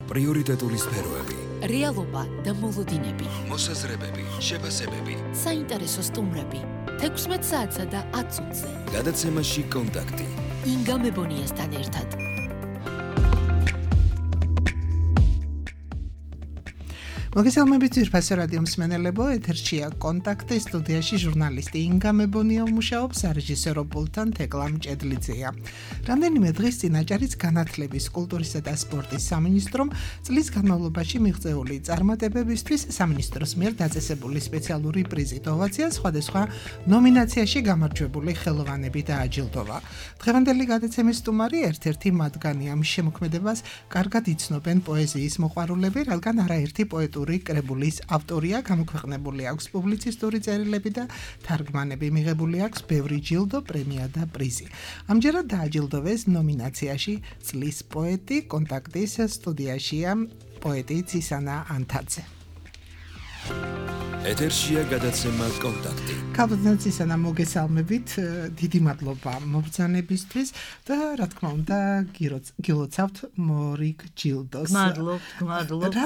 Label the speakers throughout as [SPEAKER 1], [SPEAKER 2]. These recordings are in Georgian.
[SPEAKER 1] პრიორიტეტული სფეროები,
[SPEAKER 2] რეალობა და მოლოდინები,
[SPEAKER 1] მოსაზრებები, შეფასებები,
[SPEAKER 2] საინტერესო სტუმრები, 16 საათსა და 10 წუთზე.
[SPEAKER 1] გადაცემაში კონტაქტი.
[SPEAKER 2] ინგა მებონიასთან ერთად.
[SPEAKER 3] მოგესალმებით ძვირფასო რადიო მსმენელებო, ეთერშია კონტაქტი, სტუდიაში ჟურნალისტი ინგა მებონია მუშაობს, სარეჟისორო პულტთან თეკლა მჭედლიძეა. რამდენიმე დღის წინ აჭარის განათლების, კულტურისა და სპორტის სამინისტრომ წლის განმავლობაში მიღწეული წარმატებებისთვის სამინისტროს მიერ დაწესებული სპეციალური პრიზით ოვაცია სხვადასხვა ნომინაციაში გამარჯვებული ხელოვანები დააჯილდოვა. დღევანდელი გადაცემის სტუმარი ერთ-ერთი მათგანია. ამ შემოქმედებას კარგად იცნობენ პოეზიის მოყვარულები, რადგან არაერთი პოეტური კრებულის ავტორია, გამოქვეყნებული აქვს პუბლიცისტური წერილები და თარგმანები, მიღებული აქვს ბევრი ჯილდო, პრემია და პრიზი. ამჯერად დააჯილდოვეს ნომინაციაში წლის პოეტი, კონტაქტის სტუდიაშია პოეტი ცისანა ანთაძე.
[SPEAKER 1] ეთერშია გადაცემა კონტაქტი.
[SPEAKER 3] ქალბატონ ცისანა, მოგესალმებით, დიდი მადლობა მობრძანებისთვის და რა თქმა უნდა გილოცავთ მორიგ ჯილდოს.
[SPEAKER 4] მადლობ,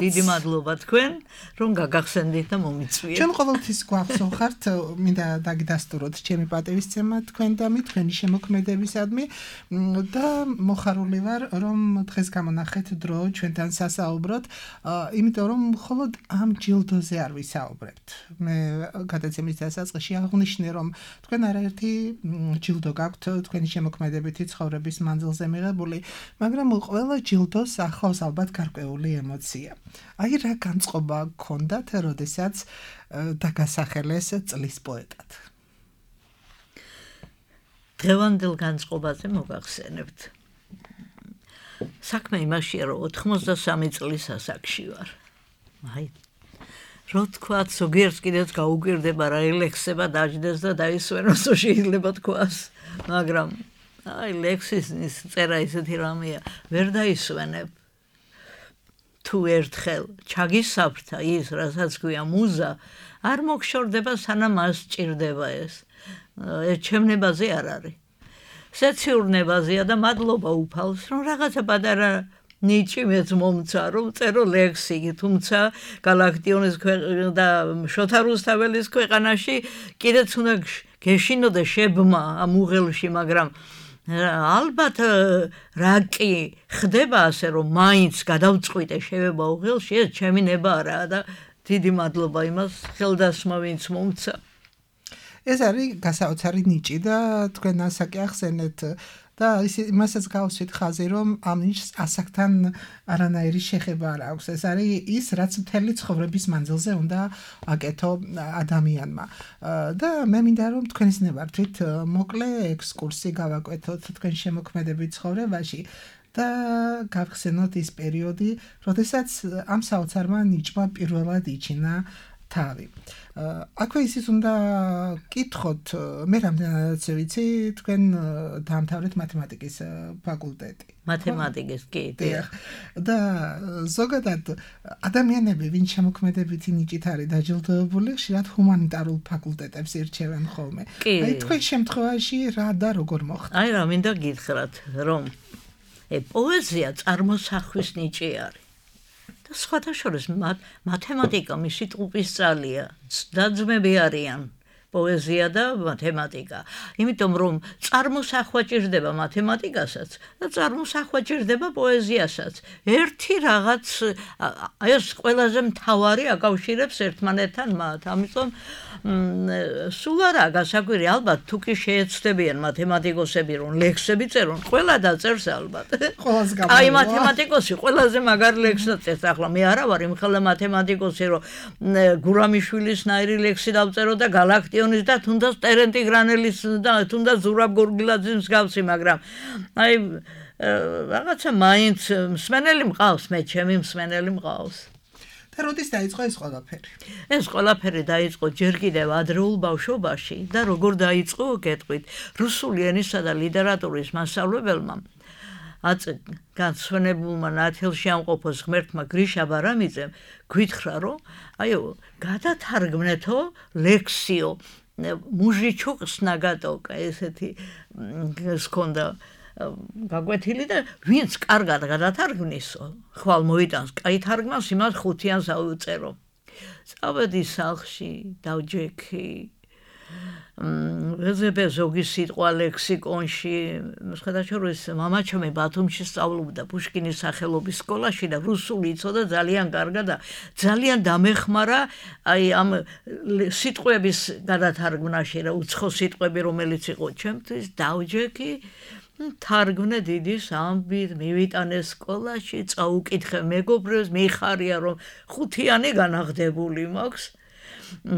[SPEAKER 4] დიდი მადლობა თქვენ, რომ გაგახსენდით და მომიწვიეთ.
[SPEAKER 3] ჩვენ ყოველთვის გვახსოვხართ, მინდა დაგიდასტუროთ ჩემი პატივისცემა თქვენ და თქვენი შემოქმედებისადმი და მოხარული ვარ, რომ დღეს გამონახეთ დრო ჩვენთან სასაუბროთ, იმიტომ რომ მხოლოდ ამ ჯილდოზე არ ვისაუბრებთ. მე გადაცემის დასაწყისში აღნიშნე, რომ თქვენ არაერთი ჯილდო გაქვთ თქვენი შემოქმედებითი ცხოვრების მანძილზე მიღებული, მაგრამ ყველა ჯილდოს ახლავს ალბათ გარკვეული ემოცია. აი რა განწყობა გქონდათ, როდესაც დაგასახელეს წლის პოეტად?
[SPEAKER 4] დღევანდელ განწყობაზე მოგახსენებთ. საქმე იმაშია, რომ 83 წლის ასაკში ვარ. აი რო თქვათ, ზოგიერთს კიდეც გაუკვირდება რა ლექსება დაждდეს და დაისვენოს, შეიძლება თქვას, მაგრამ აი ლექსის წერა ისეთი რამეა, ვერ დაისვენებ. თუ ერთხელ ჩაგისაფრთა ის, რასაც ქვია მუზა, არ მოგშორდება, სანამ მას სჭირდება ეს. ჩემნებაზე არ არის. სეციურნებაზეა და მადლობა უფალს, რომ რაღაცა პატარა ნიჭი მეც მომცა, რომ წერო ლექსი, თუმცა გალაქტიონის და შოთა რუსთაველის ქვეყანაში კიდეც უნდა გეშინოდა შებმა ამ უღელში, მაგრამ ალბათ რა კი ხდება ასე, რომ მაინც გადავწყვიტე შევება უღელში, ეს ჩემი ნება არაა და დიდი მადლობა იმას ხელდასმა, ვინც მომცა.
[SPEAKER 3] ეს არის გასაოცარი ნიჭი და თქვენ ასაკი ახსენეთ და იმასაც გავუსვით ხაზი, რომ ამ ნიჭს ასაკთან არანაირი შეხება არ აქვს. ეს არის ის, რაც მთელი ცხოვრების მანძილზე უნდა აკეთო ადამიანმა. და მე მინდა რომ თქვენსნებართვით მოკლე ექსკურსი გავაკეთოთ თქვენ შემოქმედებით ცხოვრებაში და გავხსენოთ ის პერიოდი, როდესაც ამ საოცარმა ნიჭმა პირველად იჩინა თავი. აქვე ისიც უნდა კითხოთ, მე რამდენადაც ვიცი, თქვენ დაამთავრეთ მათემატიკის ფაკულტეტი.
[SPEAKER 4] მათემატიკის კი.
[SPEAKER 3] და ზოგადად ადამიანები, ვინც შემოქმედებითი ნიჭით არის დაჯილდოებული, ხშირად ჰუმანიტარულ ფაკულტეტებს ირჩევენ ხოლმე. აი თქვენ შემთხვევაში რა და როგორ მოხდა?
[SPEAKER 4] აი რა მინდა გითხრათ, რომ პოეზია წარმოსახვის ნიჭი არის. სხვათა შორის მათემატიკა მისი ტყუპის ძალია, დაძმები არიან პოეზია და მათემატიკა. იმიტომ რომ წარმოსახვა ჭირდება მათემატიკასაც და წარმოსახვა ჭირდება პოეზიასაც. ერთი რაღაც ეს ყველაზე მთავარი აკავშირებს ერთმანეთთან მათ. ამიტომ სულ არა გასაკვირი, ალბათ თუ კი შეეცდებიან მათემატიკოსები რომ ლექსები წერონ, ყველა დაწერს ალბათ. აი მათემატიკოსი ყველაზე მაგარი ლექსს წერს. ახლა მე არა ვარ იმხელა მათემატიკოსი, რომ გურამიშვილის ნაირი ლექსი დავწერო და გალაქტიონის და თუნდაც ტერენტი გრანელის და თუნდაც ზურაბ გორგილაძის მსგავსი, მაგრამ აი რაღაცა მაინც მსმენელი მყავს, მე ჩემი მსმენელი მყავს.
[SPEAKER 3] და როდის დაიწყო ეს ყველაფერი?
[SPEAKER 4] ეს ყველაფერი დაიწყო ჯერ კიდევ ადრეულ ბავშვობაში და როგორ დაიწყო გეტყვით, რუსული ენისა და ლიტერატურის მასწავლებელმა განსვენებულმა ნათელში ამყოფოს ღმერთმა გრიშა ბარამიძემ გვითხრა, რომ აიო გადათარგმნეთო ლექსიო მუჟიჩუკს ნაგატოკა, ესეთი ჰქონდა გაგვეთილი და ვინც კარგად გადათარგმნისო, ხვალ მოიტანს კაი თარგმანს, იმას 5-იანს ავუწერო. წავედი სახლში, დავჯექი. ვეძებე ზოგი სიტყვა ლექსიკონში, შედარებით მამაჩემი ბათუმში სწავლობდა პუშკინის სახელობის სკოლაში და რუსული იცოდა ძალიან კარგად და ძალიან დამეხმარა აი ამ სიტყვების გადათარგმნაში რა უცხო სიტყვები რომელიც იყო ჩემთვის დავჯექი თარგმნე დიდის ამბით მივიტანე სკოლაში წაუკითხე მეგობრებს მიხარია რომ 5-იანი განაღდებული მაქვს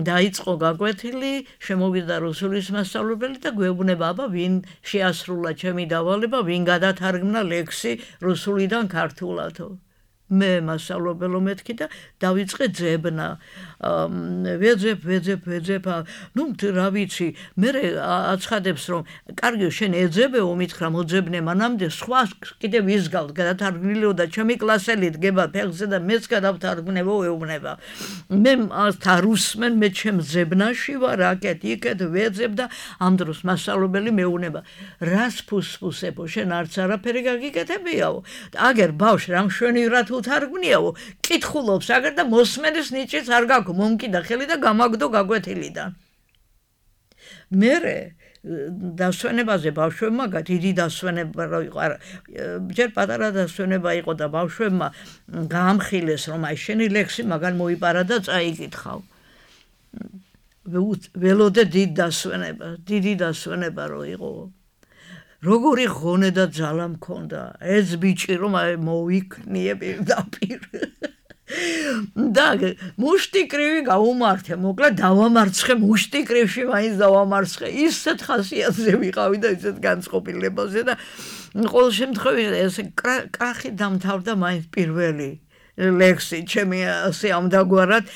[SPEAKER 4] დაიწყო გაკვეთილი, შემოვიდა რუსულის მასწავლებელი და გვეუბნება, აბა ვინ შეასრულა ჩემი დავალება, ვინ გადათარგმნა ლექსი რუსულიდან ქართულათო. მე მასწავლებელო მეთქი და დავიწყე ძებნა. ვეძებ, ნუ რა ვიცი, მე აცხადებს რომ კარგი შენ ეძებეო მითხრა მოძებნე მანამდე სხვა კიდე ვისგავთ გადათარგმნილიო და ჩემი კლასელი დგება ფეხზე და მეც გადავთარგმნებო ეუბნება. მე და რუსმენ მე ჩემ ძებნაში ვარ აქეთ ვეძებ და ამ დროს მასწავლებელი მეუბნება რას ფუსფუსებო შენ არც არაფერი გაგიკეთებიაო. აგერ ბავშვ რა მშვენივრად უთარგმნიაო, კითხულობს აგერ და მოსმენის ნიჭიც არ გაქვს, მომკიდა ხელი და გამაგდო გაკვეთილიდან. მერე დასვენებაზე ბავშვებმა დიდი დასვენება იყო, ჯერ პატარა დასვენება იყო და ბავშვებმა გაამხილეს რომ აი შენი ლექსი მაგან მოიპარა და წაიკითხავ. ველოდე დიდი დასვენება რო იყო. როგორი ღონე და ძალა მქონდა ეს ბიჭი რომ მოვიქნიე პირდაპირ და მუშტიკრივი გაუმართე მოკლედ დავამარცხე მუშტიკრივში მაინც დავამარცხე ისეთ ხასიათზე ვიყავი და ისეთ განწყობილებაზე და ყოველ შემთხვევაში ეს კრახი დამთავრდა მაინც პირველი ლექსი ჩემი ასე ამდაგვარად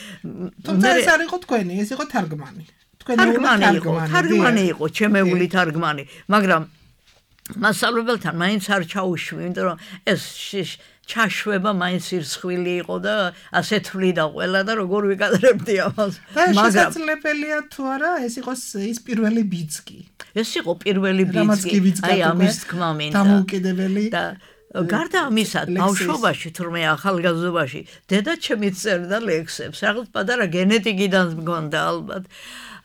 [SPEAKER 3] თუმცა ეს არ იყო თქვენი ეს იყო თარგმანი
[SPEAKER 4] თარგმანი იყო ჩემეული თარგმანი მაგრამ მასწავლებელთან მაინც არ ჩაუშვი, იმიტომ რომ ეს ჩაშვება მაინც ირცხვილი იყო და ასე თვლიდა ყველა და როგორ ვიკადრებდი ამას.
[SPEAKER 3] მაგრამ შესაძლებელია თუ არა ეს იყოს ის პირველი ბიძგი.
[SPEAKER 4] ეს იყო პირველი ბიძგი. აი ამის თქმა მინდა.
[SPEAKER 3] დამოუკიდებელი
[SPEAKER 4] და გარდა ამისა, ბავშვობაში თურმე ახალგაზრდობაში დედა ჩემი წერდა ლექსებს. რაღაც პატარა გენეტიკიდან მგონდა ალბათ.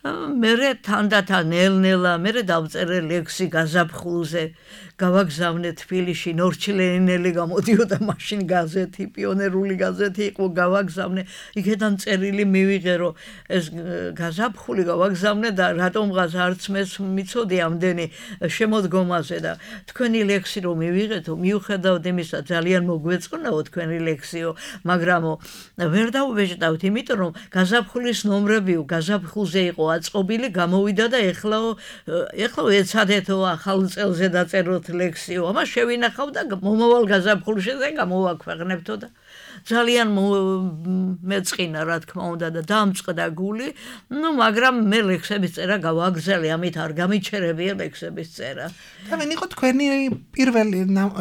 [SPEAKER 4] მერე თანდათან ნელ-ნელა მერე დავწერე ლექსი გაზაფხულზე გავაგზავნე თბილისში ნორჩილენელი გამოდიოდა მაშინ გაზეთი პიონერული გაზეთი იყო გავაგზავნე იქიდან წერილი მივიღე რომ ეს გაზაფხული გავაგზავნე და რატომღაც არც მეც მიცოდი ამდენი შემოდგომაზე და თქვენი ლექსი რომ მივიღეთო მიუხედავად იმისა ძალიან მოგვეწყნაო თქვენი ლექსიო მაგრამ ვერ დავუვეჭდავთ იმიტომ რომ გაზაფხულის ნომრებიო გაზაფხულზე იყო აწყობილი გამოვიდა და ეხლა ეცადეთო ახალ წელზე დაწეროთ ლექსიო ამას შევინახავ და მომავალ გაზაფხულში გამოვაქვეყნებთო და ძალიან მეწყინა რა თქმა უნდა და დამწყდა გული ნუ მაგრამ მე ლექსების წერა გავაგზავნე ამით არ გამიჩერებია ლექსების წერა
[SPEAKER 3] და ვინ იყო თქვენი პირველი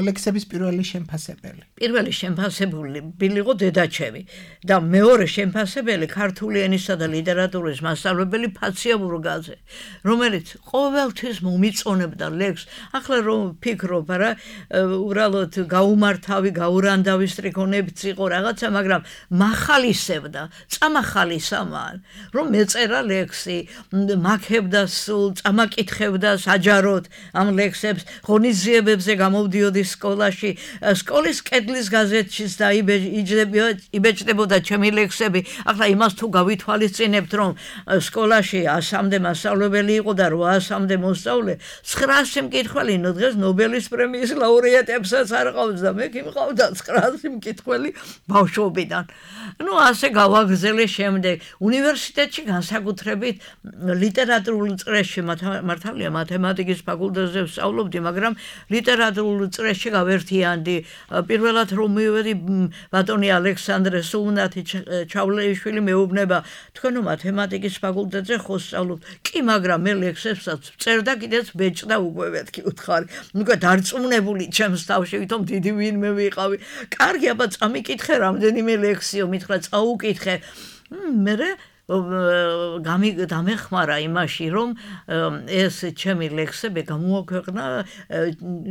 [SPEAKER 3] ლექსების პირველი შემფასებელი
[SPEAKER 4] იყო დედაჩემი და მეორე შემფასებელი ქართული ენისა და ლიტერატურის მასწავლებელი ფაცია ბურგაძე რომელიც ყოველთვის მომიწონებდა ლექსს ახლა რომ ფიქრობ რა უბრალოდ გაუმართავი გაურანდავი სტრიქონებიც იყო რაღაცა მაგრამ מחალისებდა წამახალისამან რომ მეწერა ლექსი მაქებდა სულ წამაკითხებდა საჯაროდ ამ ლექსებს ღონისძიებებზე გამოვდიოდი სკოლაში სკოლის კედლის გაზეთშიც და იბეჭდებოდა ჩემი ლექსები ახლა იმას თუ გავითვალისწინებთ რომ სკოლაში 100-მდე მასწავლებელი იყო და 800-მდე მოსწავლე 900 მკითხველი დღეს ნობელის პრემიის ლაურეატებსაც არ ყავს და მე მიყავდა 900 მკითხველი ბავშვობიდან. ნუ ასე გავაგზელე შემდეგ უნივერსიტეტში განსაკუთრებით ლიტერატურულ წრეში მართალია მათემატიკის ფაკულტეტზე ვსწავლობდი, მაგრამ ლიტერატურულ წრეში გავერთიანდი. პირველად რომ მივედი ბატონი ალექსანდრე სულნათი ჩავლეიშვილი მეუბნება, თქვენო მათემატიკის ფაკულტეტზე ხო სწავლობთ? კი, მაგრამ მე ლექსებსაც წერდა კიდეც ბეჭდა უკვე მეთქი უთხარი. ნუ დარწმუნებული ჩემს თავში ვითომ დიდი ვინმე ვიყავი. კარგი, აბა წამიკითხე რამდენიმე ლექსიო მითხრა წაუკითხე. მერე დამეხმარა იმაში, რომ ეს ჩემი ლექსები გამოაქვეყნა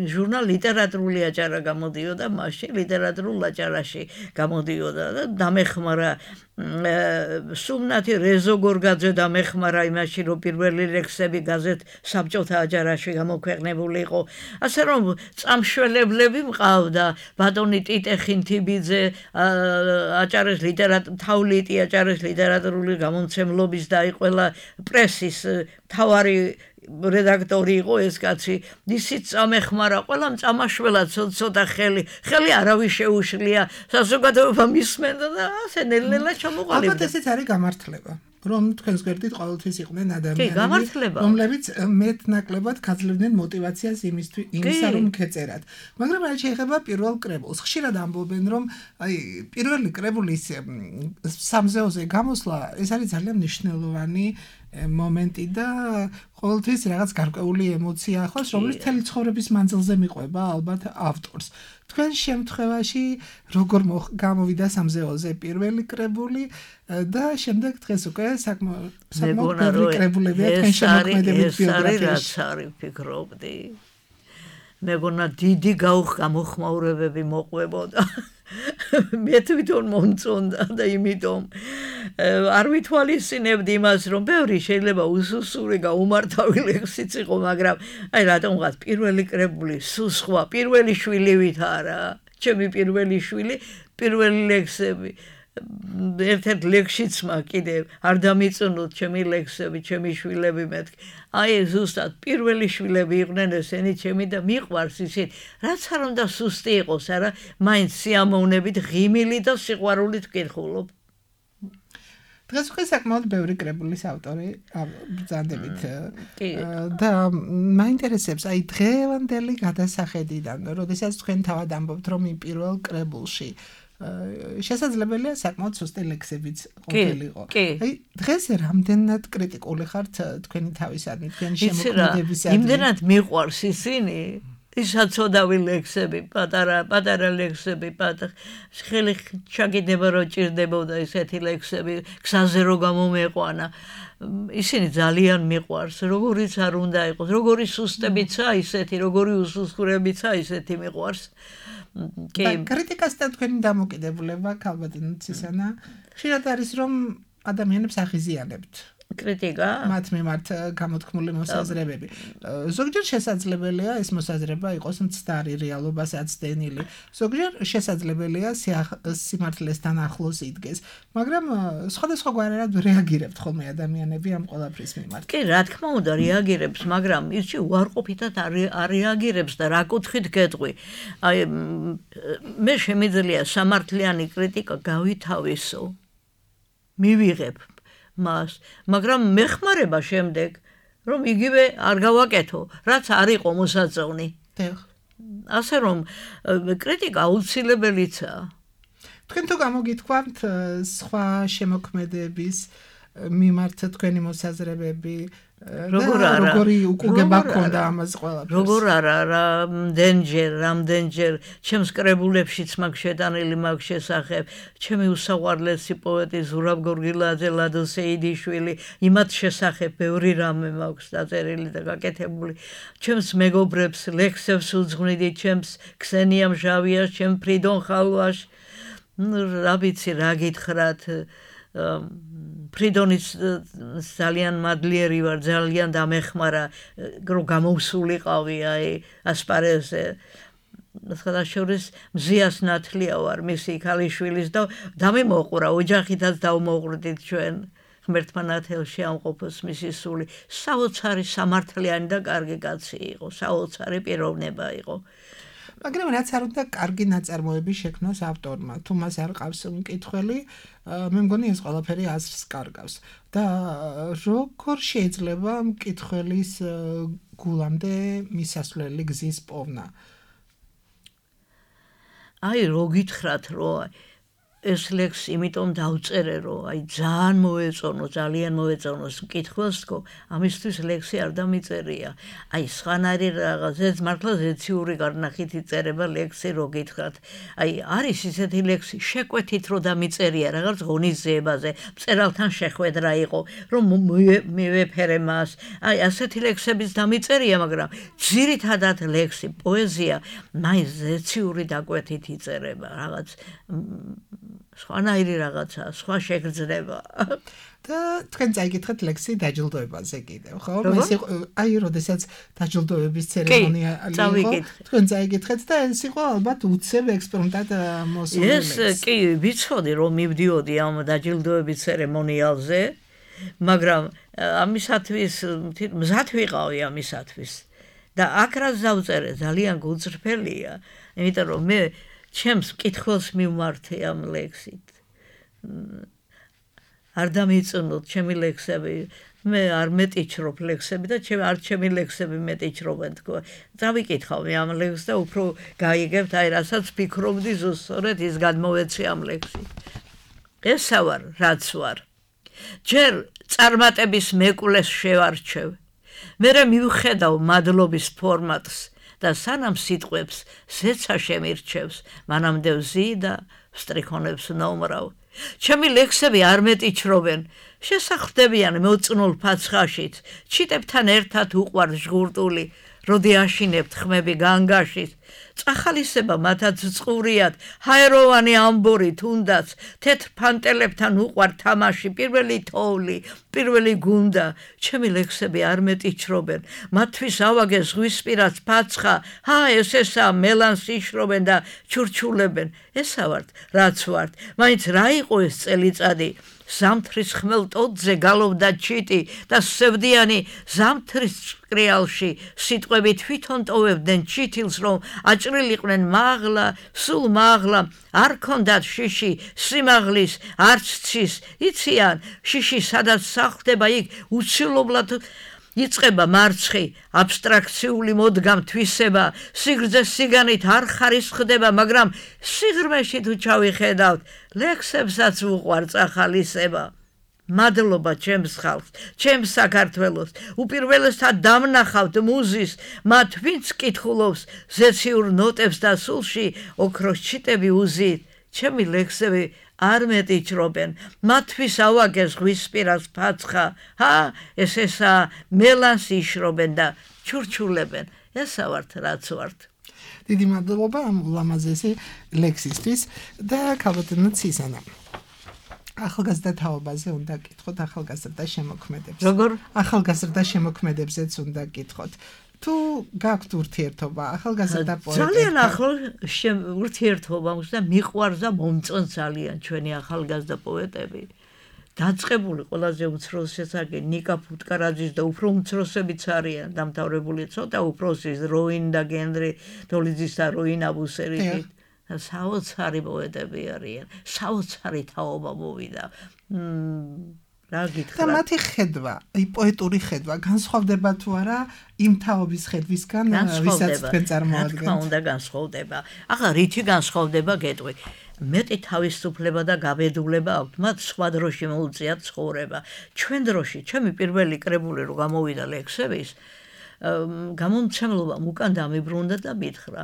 [SPEAKER 4] ჟურნალ ლიტერატურული აჭარა გამოდიოდა მაშინ ლიტერატურულ აჭარაში გამოდიოდა და დამეხმარა სუმნათი რეზოგორგაძე დამეხმარა იმაში, რომ პირველი ლექსები გაზეთ საბჭოთა აჭარაში გამოქვეყნებული იყო. ასე რომ წამშველებლები მყავდა, ბატონი ტიტე ხინთიბიძე, აჭარის თავლიტი აჭარის ლიტერატურული გამომცემლობის და ყველა პრესის თავარი რედაქტორი იყო ეს კაცი, ისიც წამეხმარა, ყველამ წამაშველად ცოტა ხელი არავის შეუშლია, საზოგადოება მისმენდა და ასე ნელ-ნელა ჩამოყალიბდა.
[SPEAKER 3] ალბათ ესეც არის გამართლება. რომ თქვენს გვერდით ყოველთვის იყვნენ ადამიანები, რომლებიც მეტნაკლებად გაძლევდნენ мотиваციას იმისა, რომ ქეწერათ. მაგრამ რაც შეეხება პირველ კრებულს, ხშირად ამბობენ, რომ აი პირველი კრებულის სამზეოზე გამოსვლა ეს არის ძალიან მნიშვნელოვანი მომენტი და ყოველთვის რაღაც გარკვეული ემოცია ახლავს, რომელიც მთელი ცხოვრების მანძილზე მიყვება ალბათ ავტორს. თქვენ შემთხვევაში როგორ გამოვიდა სამზეოზე პირველი კრებული და შემდეგ დღეს უკვე საკმაოდ ბევრი კრებულებია თქვენ შემოქმედებით ბიოგრაფიაში.
[SPEAKER 4] ეს არის ფიქრობდი. მეგონა დიდი გამოხმაურებები მოყვებოდა. მე თვითონ მომწონდა და იმიტომ არ ვითვალისწინებდი იმას, რომ ბევრი შეიძლება უსუსური გაუმართავი ლექსიც იყო, მაგრამ აი რატომღაც პირველი კრებული სულ სხვა, პირველი შვილივით არა, ჩემი პირველი შვილი, პირველი ლექსები. ერთ-ერთ ლექსშიც კიდე არ დამიწუნოთ ჩემი ლექსები, ჩემი შვილები მეთქი. აი ზუსტად პირველი შვილები იყვნენ ესენი ჩემი და მიყვარს ისინი. რაც არ უნდა სუსტი იყოს, არა, მაინც სიამოვნებით, ღიმილი და სიყვარულით ვკითხულობ.
[SPEAKER 3] დღეს უკვე საკმაოდ ბევრი კრებულის ავტორი ბრძანდებით და მაინტერესებს აი დღევანდელი გადასახედიდან, როდესაც თქვენ თავად ამბობთ, რომ იმ პირველ კრებულში შესაძლებელია საკმაოდ სუსტი ლექსებიც ყოფილიყო. აი დღეს რამდენად კრიტიკული ხართ თქვენი თავისადმი, თქვენი შემოქმედებისადმი?
[SPEAKER 4] იმდენად მიყვარს ისინი, ისაცოდავი ლექსები, პატარა ლექსები, ხელი ჩაგიდება რომ ჭირდებოდა ესეთი ლექსები, გზაზე რო გამომეყვანა. ისინი ძალიან მიყვარს, როგორიც არ უნდა იყოს, როგორი სუსტებიცა ისეთი, როგორი უსუსხურებიცა ისეთი მიყვარს.
[SPEAKER 3] კრიტიკასთან თქვენი დამოკიდებულება ქალბატონი ცისანა ხშირად არის რომ ადამიანებს აღიზიანებთ
[SPEAKER 4] კრიტიკა
[SPEAKER 3] მათ მიმართ გამოთქმული მოსაზრებები. ზოგჯერ შესაძლებელია ეს მოსაზრება იყოს მცდარი რეალობას აცდენილი. ზოგჯერ შესაძლებელია სიმართლესთან ახლოს იდგეს, მაგრამ სხვადასხვაგვარად რეაგირებთ ხოლმე ადამიანები ამ ყველაფრის მიმართ.
[SPEAKER 4] კი, რა თქმა უნდა, რეაგირებს, მაგრამ ისე უარყოფითად არ რეაგირებს და რა კუთხით გეტყვი. აი მე შემიძლია სამართლიანი კრიტიკა გავითავისო. მივიღებ მას, მაგრამ მეხმარება შემდეგ, რომ იგივე არ გავაკეთო, რაც არ იყო მოსაწონი. ასე რომ კრიტიკა აუცილებელიცაა.
[SPEAKER 3] თქვენ თუ გამოგითქვამთ სხვა შემოქმედების მიმართ თქვენი მოსაზრებები, როგორი უკუგება ქონდა ამას ყველაფერს?
[SPEAKER 4] როგორ არა, რამდენჯერ ჩემს კრებულებშიც მაგ შეტანილი მაგ შესახებ, ჩემი უსაყვარლესი პოეტი ზურაბ გორგილაძე, ლადო სეიდიშვილი, იმათ შესახებ ბევრი რამე მაქვს დაწერილი და გაკეთებული. ჩემს მეგობრებს ლექსებს უძღვნიდი, ჩემს ქსენია მჟავიას, ჩემ ფრიდონ ხალვას, რა ვიცი, რა გითხრათ, ფრიდონის ძალიან მადლიერი ვარ, ძალიან დამეხმარა, რომ გამოვსულიყავი აი ასპარეზზე. სხვადასხვა მზიას ნათლია ვარ მისი ქალიშვილის და დამიმოყვრა ოჯახითაც დავმოყვრდით ჩვენ ღმერთმა ნათელში ამყოფოს მისი სული. საოცარი სამართლიანი და კარგი კაცი იყო, საოცარი პიროვნება იყო.
[SPEAKER 3] მაგრამ რაც არ უნდა კარგი ნაწარმოები შექმნოს ავტორმა, თუ მას არ ყავს მკითხველი, მე მგონი ეს ყველაფერი აზრს კარგავს. და როგორ შეიძლება მკითხველის გულამდე მისასვლელი გზის პოვნა?
[SPEAKER 4] აი, რო გითხრათ, რომ ეს ლექსი იმიტომ დავწერე, რომ აი ძალიან მოეწონოს მკითხველს თქო, ამისთვის ლექსი არ დამიწერია. აი სხვანაირი რაღაცა მართლა ზეციური გარნახით იწერება ლექსი რო გითხრათ. აი არის ისეთი ლექსი შეკვეთით რომ დამიწერია რაღაც ღონისძიებაზე, მწერალთან შეხვედრა იყო, რომ მივეფერე მას. აი ასეთი ლექსებიც დამიწერია, მაგრამ ძირითადად ლექსი, პოეზია მაინც ზეციური დაკვეთით იწერება, რაღაც სხვანაირი რაღაცა, სხვა შეგრძნება.
[SPEAKER 3] და თქვენ წაიგეთ ლექსი დაჯილდოებაზე კიდევ, ხო? ეს იყო აი როდესაც დაჯილდოების ცერემონია იყო. თქვენ წაიგეთ და ეს იყო ალბათ უცებ ექსპერიმენტად მოსული ლექსი.
[SPEAKER 4] ეს კი ვიცოდი რომ მივდიოდი ამ დაჯილდოების ცერემონიალზე, მაგრამ ამისათვის მზად ვიყავი ამისათვის. და აქ რაც დავწერე ძალიან გულწრფელია, იმიტომ რომ მე ჩემს მკითხველს მივმართე ამ ლექსით. არ დამიწუნოთ ჩემი ლექსები, მე არ მეტიჩრობ ლექსები და ჩემი ლექსები მეტიჩრობენ თქო. დავიკითხავი ამ ლექსს და უფრო გაიგებთ აი რასაც ფიქრობდი ზუსტად ის გადმოვეცი ამ ლექსში. ესა ვარ, რაც ვარ. ჯერ წარმატების მეკვლეს შევარჩევ. მერე მივხედავ მადლობის ფორმატს და სანამ სიტყვებს ზეცა შემირჩევს, მანამდე ვზი და ვსტრიქონებს ნომრავ. ჩემი ლექსები არ მეტიჩრობენ, შესახდებიან მოწნულ ფაცხაშით, ჩიტებთან ერთად უყვარ ჟღურტული, როდი აშინებთ ხმები განგაშით. წახალისება მათაც წყურიათ, ჰაეროვანი ამბური თუნდაც, თეთრ ფანტელებთან უყვარ თამაში, პირველი თოვლი, პირველი გუნდა. ჩემი ლექსები არ მეტიჩრობენ, მათთვის ავაგე ზღვისპირას ფაცხა, ესა მელანს იშრობენ და ჩურჩულებენ. ესა ვართ, რაც ვართ, მაინც რა იყო ეს წელიწადი? ზამთრის ხმელ ტოტზე გალობდა ჩიტი და სევდიანი ზამთრის ჭკრიალში სიტყვები თვითონ ტოვებდნენ ჩითილს, რომ აჭრილიყვნენ მაღლა, სულ მაღლა, არ ქონდათ შიში, სიმაღლის, არც ცის, იციან, შიში სადაც სახლდება იქ უცილობლად იწყება მარცხი, აბსტრაქციული მოდგამ თვისება, სიგრძე სიგანით არ ხარისხდება, მაგრამ სიღრმეში თუ ჩავიხედავთ, ლექსებსაც უყვარ წახალისება. მადლობა ჩემს ხალხს, ჩემს საქართველოს, უპირველესად დამნახავთ მუზის, მათ ვინც კითხულობს ზეციურ ნოტებს და სულში ოქროს ჩიტები უზით. ჩემი ლექსები არ მეტიჩრობენ, მათთვის ავაგე ზღვისპირას ფაცხა, ესა მელანს იშრობენ და ჩურჩულებენ. ესა ვართ, რაც ვართ.
[SPEAKER 3] დიდი მადლობა ამ ულამაზესი ლექსისთვის და ქალბატონო ცისანა. ახალგაზრდა თაობაზე უნდა გკითხოთ, ახალგაზრდა შემოქმედებს.
[SPEAKER 4] როგორ?
[SPEAKER 3] ახალგაზრდა შემოქმედებზეც უნდა გკითხოთ. თუ გაქვთ ურთიერთობა ახალგაზრდა პოეტებთან?
[SPEAKER 4] ძალიან ახლო ურთიერთობა მაქვს და მიყვარს და მომწონს ძალიან ჩვენი ახალგაზრდა პოეტები. დაწყებული ყველაზე უმცროსი შესაგი ნიკა ფუტკარაძის და უფრო უმცროსებიც არიან დამთავრებული ცოტა უფროსის როინ და გენრი დოლიძის და როინ აბუსერიტი. საოცარი პოეტები არიან, საოცარი თაობა მოვიდა. რა გითხრათ?
[SPEAKER 3] და მათი ხედვა, პოეტური ხედვა განსხვავდება თუ არა იმ თაობის ხედვისგან, ვისაც თქვენ წარმოადგენთ?
[SPEAKER 4] რა თქმა უნდა განსხვავდება. ახლა რითი განსხვავდება გეტყვი? მეტი თავისუფლება და გაბედულება აქვთ, მათ სხვა დროში მოუწიათ ცხოვრება. ჩვენ დროში, ჩემი პირველი კრებული რო გამოვიდა ლექსების, გამომცემლობამ უკან დამიბრუნდა და მითხრა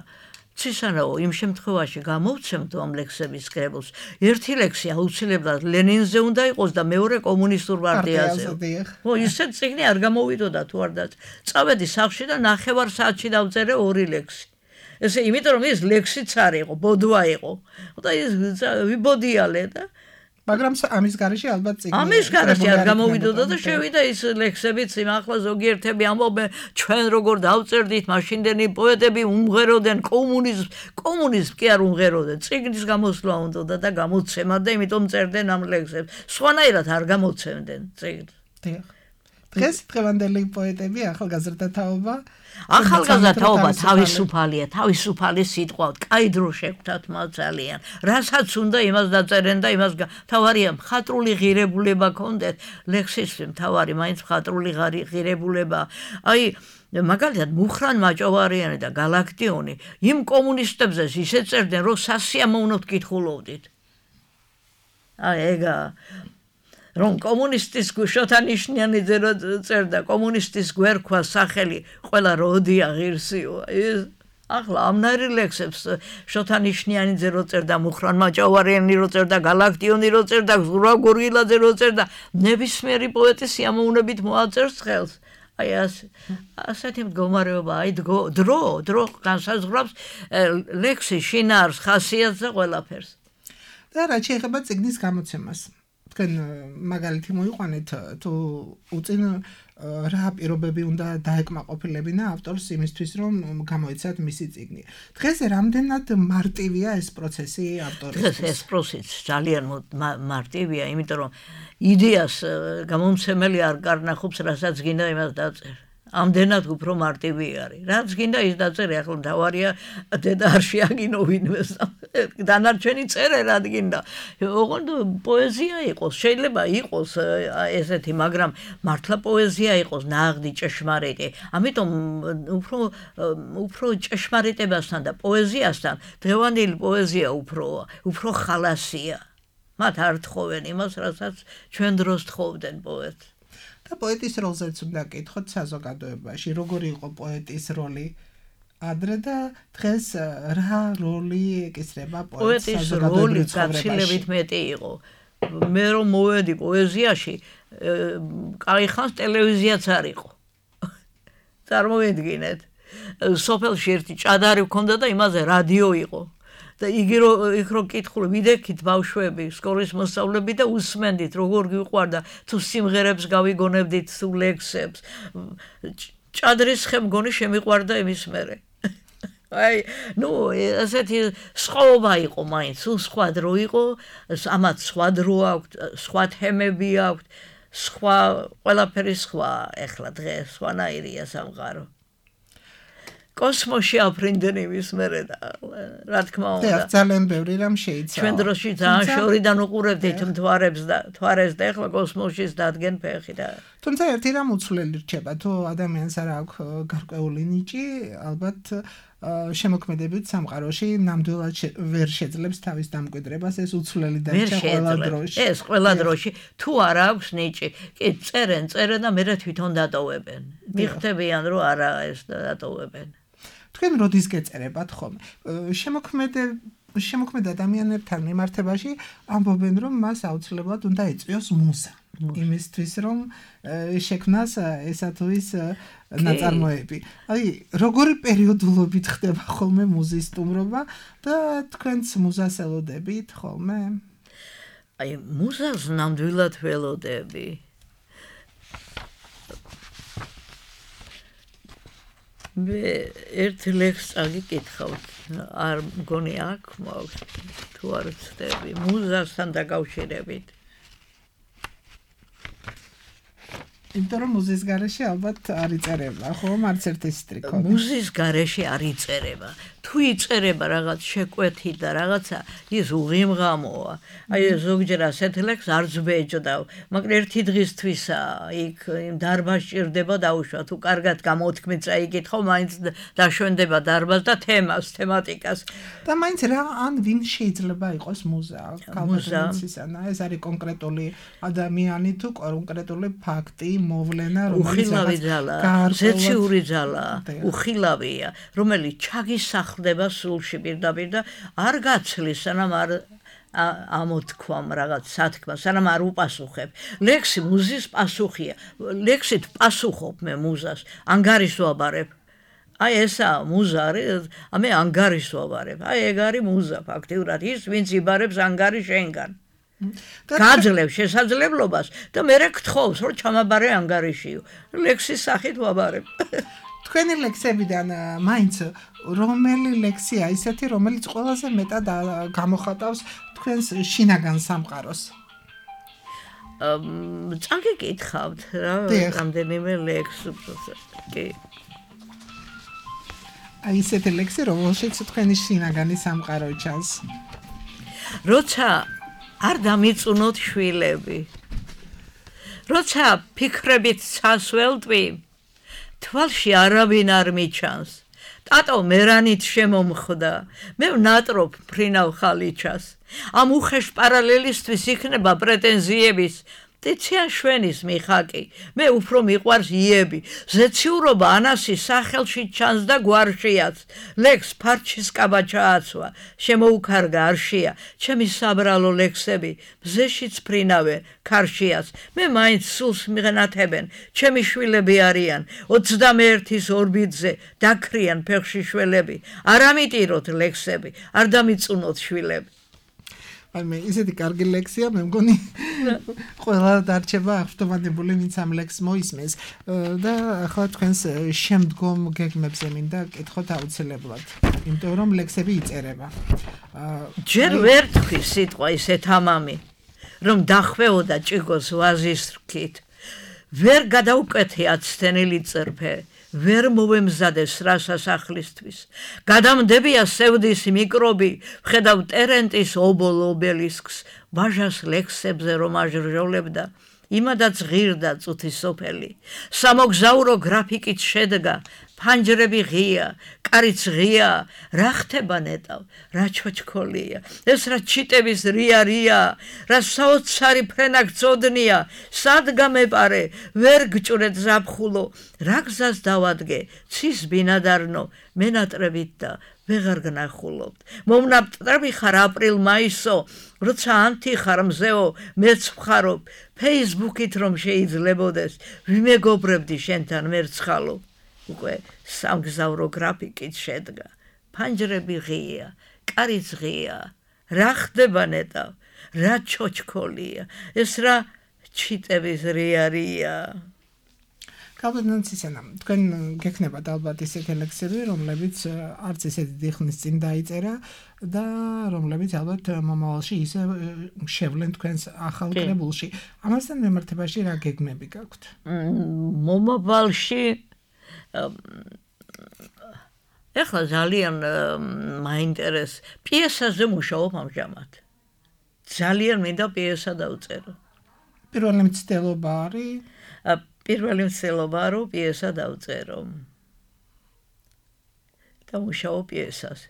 [SPEAKER 4] ცისანაო, იმ შემთხვევაში გამოვცემთ ამ ლექსების კრებულს. ერთი ლექსი აუცილებლად ლენინზე უნდა იყოს და მეორე კომუნისტურ პარტიაზე. ისეთ წიგნი არ გამოვიდოდა თუ არ და წავედი სახლში და ნახევარ საათში დავწერე ორი ლექსი. ესე იმიტომ რომ ეს ლექსიც არ იყო, ბოდვა იყო. და ის ვიბოდიალე და
[SPEAKER 3] მაგრამ ამის გარეშე ალბათ წიგნი.
[SPEAKER 4] ამის გარეშე არ გამოვიდოდა და შევიდა ის ლექსებიც, ახლა ზოგიერთები ამბობენ, ჩვენ როგორ დავწერდით, მაშინდელი პოეტები უმღეროდნენ კომუნიზმს კი არ უმღეროდნენ. წიგნის გამოსვლა უნდოდა და გამოცემა და იმიტომ წერდნენ ამ ლექსებს. სხვანაირად არ გამოცემდნენ წიგნს.
[SPEAKER 3] დღეს დღევანდელი პოეტები ახალგაზრდა თაობა
[SPEAKER 4] ახალგაზრდა თაობა თავისუფალია, თავისუფალი სიტყვა, კაი დრო შეგვთათ მას ძალიან. რასაც უნდა იმას დაწერენ და იმას თავარია მხატვრული ღირებულება კონდეთ, ლექსისთვის თავარი მაინც მხატვრული ღირებულება. აი მაგალითად მუხრან მაჭოვარიანი და გალაქტიონი იმ კომუნისტებზე ისე წერდნენ, რომ სასიამოვნოდ კითხულობდით. ეგა რომ კომუნისტის შოთანიშნიანიძე რო წერდა კომუნისტის გვერქვა სახელი ყველა როდია ღირსიო ეს ახლა ამნაირი ლექსებს შოთანიშნიანიძე რო წერდა მუხრან მაჭავარიანი რო წერდა გალაქტიონი რო წერდა ზურაბ გორგილაძე რო წერდა ნებისმიერი პოეტი სიამოვნებით მოაწერს ხელს აი ასეთი მდგომარეობა აი დრო განსაზღვრავს ლექსის შინაარს ხასიათს და ყველაფერს
[SPEAKER 3] და რაც შეეხება წიგნის გამოცემას თქვენ მაგალითი მოიყვანეთ თუ უწინ რა პირობები უნდა დაეკმაყოფილებინა ავტორს იმისთვის რომ გამოეცათ მისი წიგნი. დღეს რამდენად მარტივია ეს პროცესი ავტორისთვის?
[SPEAKER 4] დღეს ეს პროცესი ძალიან მარტივია, იმიტომ რომ იდეას გამომცემელი არ კარნახობს, რასაც გინდა იმას დაწერა. ამდენად უფრო მარტივი არის. რაც გინდა ის დაწერე, ახლა მთავარია დედა არ შეაგინო ვინმეს. დანარჩენი წერე რა გინდა. ოღონდ პოეზია იყოს, შეიძლება იყოს ესეთი, მაგრამ მართლა პოეზია იყოს ნაღდი, ჭეშმარიტი. ამიტომ უფრო ჭეშმარიტებასთან და პოეზიასთან დღევანდელი პოეზია უფრო ხალასია. მათ არ თხოვენ იმას, რასაც ჩვენ დროს თხოვდნენ პოეტს.
[SPEAKER 3] და პოეტის როლზეც უნდა გკითხოთ საზოგადოებაში, როგორი იყო პოეტის როლი ადრე და დღეს რა როლი ეკისრება პოეტს საზოგადოებრივ ცხოვრებაში? პოეტის როლი გაცილებით მეტი იყო. მე რომ მოვედი პოეზიაში, კაი ხანს ტელევიზიაც არ იყო. წარმოვიდგინეთ, სოფელში ერთი ჭადარი ჰქონდა და იმაზე რადიო იყო. და იქ რო კითხული ვიდექით ბავშვები სკოლის მოსწავლეები და უსმენდით როგორ გიყვარდა თუ სიმღერებს გავიგონებდით თუ ლექსებს ჭადრის ხე მგონი შემიყვარდა იმის მერე აი ნუ ასეთი სხვაობა იყო მაინც თუ სხვა დრო იყო ამათ სხვა დრო აქვს სხვა თემები აქვს სხვა ყველაფერი სხვა ეხლა დღეს სხვანაირია სამყარო კოსმოსში აფრინდნენ იმის მერე და რა თქმა უნდა ძალიან ბევრი რამ შეიცვალა
[SPEAKER 4] ჩვენ დროში ძალიან შორიდან უყურებდით მთვარეს და ეხლა კოსმოსშიც დადგენ ფეხი და
[SPEAKER 3] თუმცა ერთი რამ უცვლელი რჩება თუ ადამიანს არ აქვს გარკვეული ნიჭი ალბათ შემოქმედებით სამყაროში ნამდვილად ვერ შეძლებს თავის დამკვიდრებას ეს უცვლელი დარჩა ყველა დროში
[SPEAKER 4] ეს ყველა დროში თუ არ აქვს ნიჭი კი წერენ და მერე თვითონ დატოვებენ მიხდებიან რომ არა ეს დატოვებენ
[SPEAKER 3] თქვენ როდის გეწერებათ ხოლმე შემოქმედ ადამიანებთან მიმართებაში ამბობენ რომ მას აუცილებლად უნდა ეწვიოს მუზა იმისთვის რომ შექმნას ესა თუ ის ნაწარმოები აი როგორი პერიოდულობით ხდება ხოლმე მუზის სტუმრობა და თქვენც მუზას ელოდებით ხოლმე
[SPEAKER 4] აი მუზას ნამდვილად ველოდები მე ერთ ლექსს აგიკითხავთ არ მგონი აქვს მაქვს თუ არ ვცდები მუზასთან დაკავშირებით
[SPEAKER 3] იმიტომ რომ მუზის გარეშე ალბათ არ იწერება ხო არც ერთი სტრიქო
[SPEAKER 4] მუზის გარეშე არ იწერება თუ იწერება რაღაც შეკვეთით და რაღაცა ის უღიმღამოა აი ზოგჯერ ასეთ ლექს არ ძბეჭდავ მაგრამ ერთი დღისთვისა იქ იმ დარბაზს ჭირდება დაუშვა თუ კარგად გამოთქმით წაიკითხო მაინც დაშვენდება დარბაზს და თემატიკას
[SPEAKER 3] და მაინც რა ან ვინ შეიძლება იყოს მუზა კალბატონისისანა ეს არის კონკრეტული ადამიანი თუ კონკრეტული ფაქტი მოვლენა
[SPEAKER 4] უხილავი ძალა ზეციური ძალა უხილავია რომელიც ჩაგისახლდება სულში პირდაპირ და არ გაცლის სანამ არ ამოთქვამ რაღაც სათქმა სანამ არ უპასუხებ ლექსი მუზის პასუხია ლექსით პასუხობ მე მუზას ანგარის ვაბარებ აი ესა მუზა არის მე ანგარის ვაბარებ აი ეგ არის მუზა ფაქტიურად ის ვინც იბარებს ანგარი შენგან გაძლევ შესაძლებლობას და მე გთხოვს რომ ჩამაბარე ანგარიშიო ლექსის სახით ვაბარებ
[SPEAKER 3] თქვენი ლექსებიდან მაინც რომელი ლექსია ისეთი რომელიც ყველაზე მეტად გამოხატავს თქვენს შინაგან სამყაროს
[SPEAKER 4] წაგიკითხავთ რა რამდენიმე ლექსს კი
[SPEAKER 3] აი ესეთი ლექსი რომელშიც თქვენი შინაგანი სამყარო ჩანს
[SPEAKER 4] როცა არ დამიწუნოთ შვილები როცა ფიქრებით წასველტვი თვალში არავინ არ მიჩანს ტატო მერანით შემომხვდა. მე ვნატრობ ფრინავ ხალიჩას. ამ უხეშ პარალელისტვის იქნება პრეტენზიების ტიციან შვენის მიხაკი. მე უფრო მიყვარს იები. ზეციურობა ანასის სახელში ჩანს და გვარშიაც. ლექს ფარჩის კაბა ჩააცვა. შემოუქარგა არშია. ჩემი საბრალო ლექსები მზეშიც ფრინავე ქარშიაც. მე მაინც სულს მიღნათებენ. ჩემი შვილები არიან. 21-ის ორბიტზე დაქრიან ფეხში შველები. არ ამიტიროთ ლექსები. არ დამიწუნოთ შვილები.
[SPEAKER 3] აი მე ისეთი კარგი ლექსია მე მგონი ყველა დარჩება აღფრთოვანებული ვინც ამ ლექსს მოისმენს და ახლა თქვენს შემდგომ გეგმებზე მინდა კითხოთ აუცილებლად იმიტომ რომ ლექსები იწერება
[SPEAKER 4] ჯერ ვერ თქვი სიტყვა ისე თამამი რომ დახვეოდა ჭიგოს ვაზის რქით ვერ გადაუკეთე აცთენილი წერფე ვერ მოვემზადეს რა სასახლისთვის. გადამდებია სევდის მიკრობი, ვხედავ ტერენტის ობოლ ობელისკს, ვაჟას ლექსებზე რომ აჟრჟოლებდა, იმადაც ღირდა წუთი სოფელი. სამოგზაურო გრაფიკით შედგა, ფანჯრები ღია, კარიც ღია, რა ხდება ნეტავ, რა ჩოჩქოლია, ეს რა ჩიტების რია, რა საოცარი ფრენა გწოდნია, სად გამეპარე, ვერ გჭვრეთ ზაფხულო, რა გზას დავადგე, ცის ბინადარნო, მენატრებით და ვეღარ გნახულობთ. მომნაპტრები ხარ აპრილ-მაისო, როცა ანთი ხარ მზეო, მეც ვხარობ, ფეისბუქით რომ შეიძლებოდეს, ვიმეგობრებდი შენთან მერცხალო. უკვე სამგზავრო გრაფიკით შედგა. ფანჯრები ღია, კარიც ღია, რა ხდება ნეტავ, რა ჩოჩქოლია, ეს რა ჩიტების რია.
[SPEAKER 3] კაბინეტისენა, თქვენ გექნებათ ალბათ ისეთი ლექსები, რომლებიც არც ისეთი დიხნის წინ დაიწერა და რომლებიც ალბათ მომავალში ისე შევლენ თქვენს ახალ კრებულში. ამასთან მიმართებაში რა გეგმები გაქვთ?
[SPEAKER 4] მომავალში ეხლა ძალიან მაინტერეს პიესაზე მუშაობ ამჟამად. ძალიან მინდა პიესა დავწერო.
[SPEAKER 3] პირველი მცდელობა არის?
[SPEAKER 4] პირველი მცდელობა რომ პიესა დავწერო. და მუშაობ პიესაზე.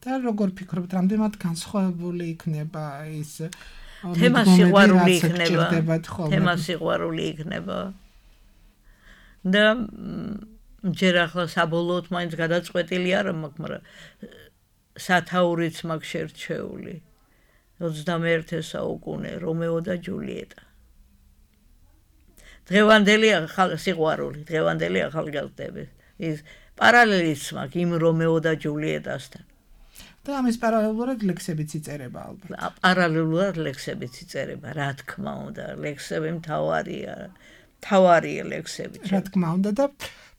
[SPEAKER 3] და როგორ ფიქრობთ, რამდენად განსხვავებული იქნება ის
[SPEAKER 4] თემა სიყვარული იქნება. თემა სიყვარული იქნება. და ჯერ ახლა საბოლოოდ მაინც გადაწყვეტილი არ მაქვს, მაგრამ სათაურიც მაქვს შერჩეული. 21 საუკუნე რომეო და ჯულიეტა. დღევანდელი სიყვარული, დღევანდელი ახალგაზრდები. ის პარალელიც მაქვს იმ რომეო და ჯულიეტასთან.
[SPEAKER 3] და ამის პარალელურად ლექსებიც იწერება ალბათ.
[SPEAKER 4] პარალელურად ლექსებიც იწერება, რა თქმა უნდა, ლექსები მთავარია ლექსები.
[SPEAKER 3] რა თქმა უნდა და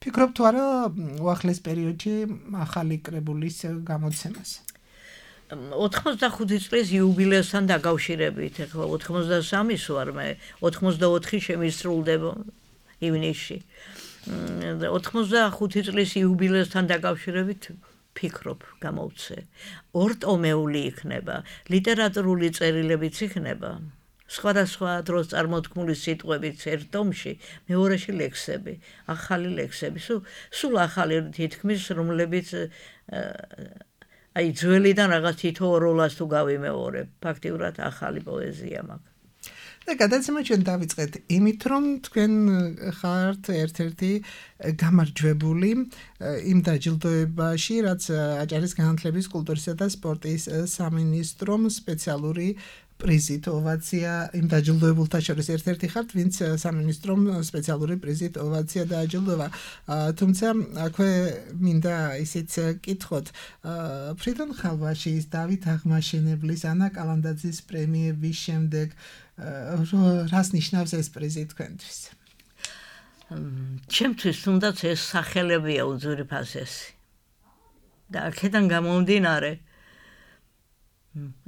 [SPEAKER 3] ფიქრობ თუ არა უახლეს პერიოდში ახალი კრებულის გამოცემას.
[SPEAKER 4] 85 წლის იუბილეასთან დაკავშირებით, ახლა 83-ის ვარ მე, 84 შემისრულდება ივნისში. 85 წლის იუბილეასთან დაკავშირებით ფიქრობ გამოვცე. ორტომეული იქნება, ლიტერატურული წერილებიც იქნება. სხვადასხვა დროს წარმოთქმული სიტყვებით ერთ ტომში, მეორეში ლექსები, ახალი ლექსები, სულ ახალი თითქმის, რომლებიც აი ძველიდან რაღაც თითო როლას თუ გავიმეორებ, ფაქტიურად ახალი პოეზია მაქვს.
[SPEAKER 3] და გადაცემა ჩვენ დავიწყეთ იმით, რომ თქვენ ხართ ერთ-ერთი გამარჯვებული იმ დაჯილდოებაში, რაც აჭარის განათლების, კულტურისა და სპორტის სამინისტრომ სპეციალური პრიზით ოვაცია იმ დაჯილდოებულთა შორის ერთ-ერთი ხართ, ვინც სამინისტრომ სპეციალური პრიზით ოვაცია დააჯილდოვა. თუმცა აქვე მინდა ისიც კითხოთ, ფრიდონ ხალვაშის, დავით აღმაშენებლის, ანა კალანდაძის პრემიების შემდეგ რას ნიშნავს ეს პრიზი თქვენთვის?
[SPEAKER 4] ჩემთვის თუნდაც ეს სახელებია უძვირფასესი. და აქედან გამომდინარე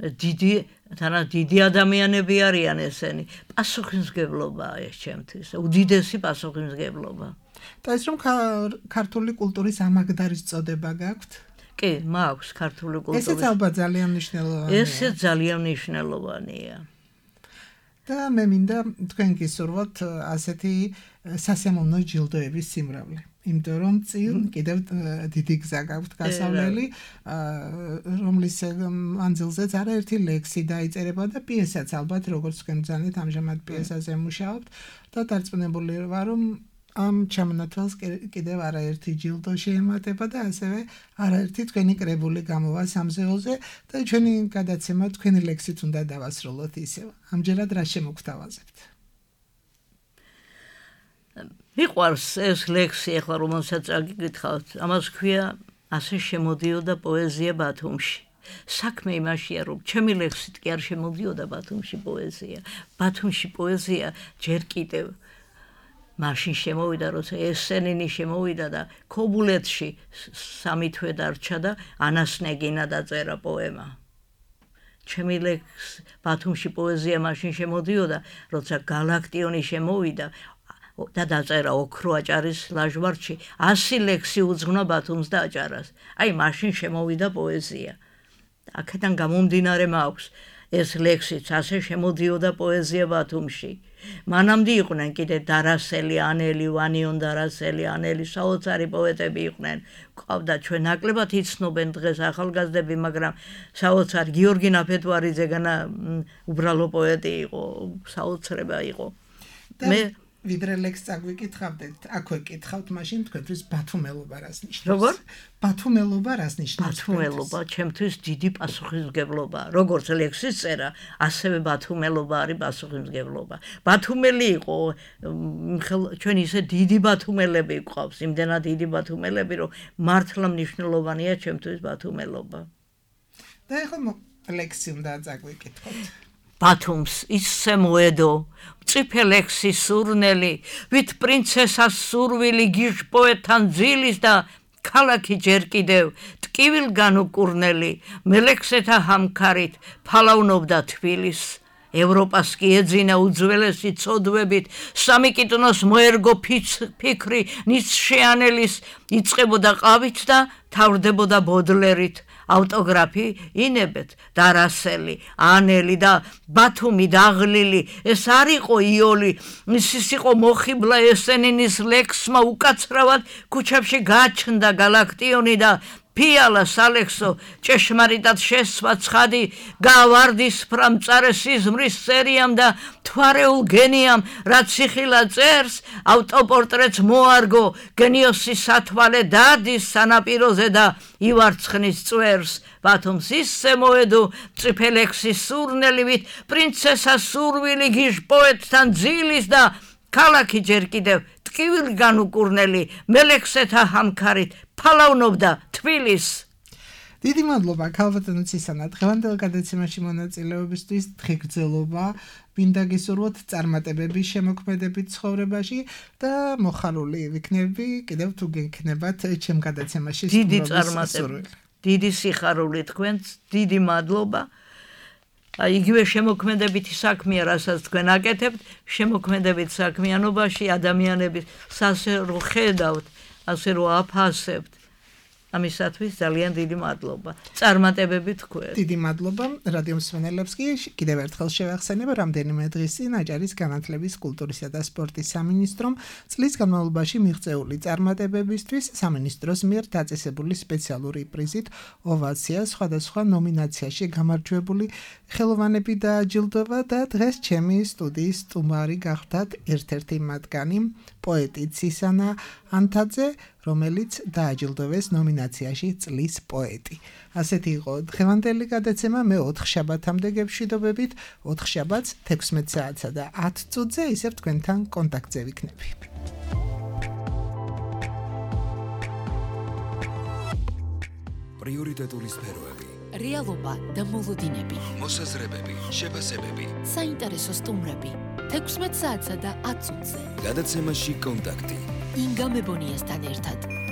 [SPEAKER 4] დიდი ადამიანები არიან ესენი. პასუხისმგებლობაა ეს ჩემთვის, უდიდესი პასუხისმგებლობა.
[SPEAKER 3] და ეს რომ ქართული კულტურის ამაგდარის წოდება გაქვთ?
[SPEAKER 4] კი, მაქვს ქართული კულტურის.
[SPEAKER 3] ესეც ალბათ ძალიან მნიშვნელოვანია.
[SPEAKER 4] ესეც ძალიან მნიშვნელოვანია.
[SPEAKER 3] და მე მინდა თქვენ გისურვოთ ასეთი სასიამოვნო ჯილდოების სიმრავლე. იმიტომ რომ წინ კიდევ დიდი გზა გაქვთ გასავლელი, რომლის მანძილზეც არაერთი ლექსი დაიწერება და პიესაც ალბათ როგორც თქვენ ბრძანეთ ამჟამად პიესაზე მუშაობთ და დარწმუნებული ვარ რომ ამ ჩამონათვალს კიდევ არაერთი ჯილდო შეემატება და ასევე არაერთი თქვენი კრებული გამოვა სამზეულზე და ჩვენი გადაცემა თქვენი ლექსით უნდა დავასრულოთ ისევ. ამჯერად რა შემოგთავაზებთ?
[SPEAKER 4] მიყვარს ეს ლექსი ახლა რომელსაც აგიკითხავთ, ამას ქვია ასე შემოდიოდა პოეზია ბათუმში. საქმე იმაშია რომ ჩემი ლექსით კი არ შემოდიოდა ბათუმში პოეზია. ბათუმში პოეზია ჯერ კიდევ მაშინ შემოვიდა, როცა ესენინი შემოვიდა და ქობულეთში 3 თვე დარჩა და ანასნეგინა დაწერა პოემა. ჩემი ლექს ბათუმში პოეზია მაშინ შემოდიოდა, როცა გალაქტიონი შემოვიდა და დაწერა ოქრო აჭარის ლაჟვარდში 100 ლექსი უძღვნა ბათუმს და აჭარას. აი მაშინ შემოვიდა პოეზია. აქედან გამომდინარე მაქვს ეს ლექსიც ასე შემოდიოდა პოეზია ბათუმში. მანამდე იყვნენ კიდე დარასელი, ანელი, ვანიონ დარასელი, ანელი, საოცარი პოეტები იყვნენ. ყავდა ჩვენ ნაკლებად იცნობენ დღეს ახალგაზრდები, მაგრამ საოცარი გიორგი ნაფეტვარიძე განა უბრალო პოეტი იყო, საოცრება იყო. მე
[SPEAKER 3] ვიდრე ლექს წაგვიკითხავდეთ, აქვე კითხავთ მაშინ თქვენთვის ბათუმელობა რას ნიშნავს?
[SPEAKER 4] როგორ?
[SPEAKER 3] ბათუმელობა რას ნიშნავს?
[SPEAKER 4] ბათუმელობა ჩემთვის დიდი პასუხისმგებლობა. როგორც ლექსის წერა, ასევე ბათუმელობა არის პასუხისმგებლობა. ბათუმელი იყო, ჩვენ ისე დიდი ბათუმელები გვყავს, იმდენად დიდი ბათუმელები, რომ მართლა მნიშვნელოვანია ჩემთვის ბათუმელობა.
[SPEAKER 3] და ეხლა ლექსი უნდა წაგვიკითხოთ.
[SPEAKER 4] ბათუმს ისე მოედო, მწიფე ლექსის სურნელი, ვით პრინცესას სურვილი გიჟ პოეტთან ძილის და ქალაქი ჯერ კიდევ ტკივილგან უკურნელი, მელექსეთა ჰამქარით ფალავნობდა თბილის. ევროპას კი ეძინა უძველესი ცოდვებით, სამი კიტნოს მოერგო ფიქრი ნიცშეანელის, იწყებოდა ყავით და თავრდებოდა ბოდლერით. ავტოგრაფი ინებეთ დარასელი, ანელი და ბათუმი დაღლილი, ეს არ იყო იოლი, ის იყო მოხიბლა ესენინის ლექსმა უკაცრავად ქუჩებში გაჩნდა გალაქტიონი და ფიალა სალექსო ჭეშმარიტად შესვა ცხადი გავარდის ფრამწარე სიზმრის სერიამ და თვარეულ გენიამ რაც სიხილა წერს ავტოპორტრეტს მოარგო გენიოსის სათვალე დადის სანაპიროზე და ივარცხნის წვერს ბათუმს ისე მოედო მწიფე ლექსის სურნელივით პრინცესას სურვილი გიჟ პოეტთან ძილის და ქალაქი ჯერ კიდევ ტკივილგან უკურნელი მელექსეთა ჰამქარით ფალავნობდა თბილის.
[SPEAKER 3] დიდი მადლობა ქალბატონო ცისანა, დღევანდელ გადაცემაში მონაწილეობისთვის, დღეგრძელობა, მინდა გისურვოთ წარმატებები შემოქმედებით ცხოვრებაში და მოხარული ვიქნები კიდევ თუ გექნებათ ჩემ გადაცემაში.
[SPEAKER 4] დიდი წარმატებები, დიდი სიხარული თქვენს, დიდი მადლობა. იგივე შემოქმედებითი საქმეა, რასაც თქვენ აკეთებთ, შემოქმედებით საქმიანობაში ადამიანების ასე რო ხედავთ, ასე რო აფასებთ. ამისათვის ძალიან დიდი მადლობა. წარმატებები თქვენ.
[SPEAKER 3] დიდი მადლობა რადიო მსმენელებს კი კიდევ ერთხელ შევახსენებ, რამდენიმე დღის წინ აჭარის განათლების, კულტურისა და სპორტის სამინისტრომ წლის განმავლობაში მიღწეული წარმატებებისთვის სამინისტროს მიერ დაწესებული სპეციალური პრიზით ოვაცია სხვადასხვა ნომინაციაში გამარჯვებული ხელოვანები დააჯილდოვა და დღეს ჩემი სტუდიის სტუმარი გახდათ ერთ-ერთი მათგანი პოეტი ცისანა ანთაძე, რომელიც დააჯილდოვეს ნომინაციაში წლის პოეტი. ასეთი იყო დღევანდელი გადაცემა, მე 4 შაბათამდე გეშვიდობებით, 4 შაბათს 16 საათსა და 10 წუთზე ისევ თქვენთან კონტაქტზე ვიქნები.
[SPEAKER 1] პრიორიტეტული სფეროები,
[SPEAKER 2] რეალობა და მოლოდინები,
[SPEAKER 1] მოსაზრებები, შეფასებები,
[SPEAKER 2] საინტერესო სტუმრები, 16 საათსა და 10 წუთზე.
[SPEAKER 1] გადაცემაში კონტაქტი.
[SPEAKER 2] ინგა მებონიასთან ერთად.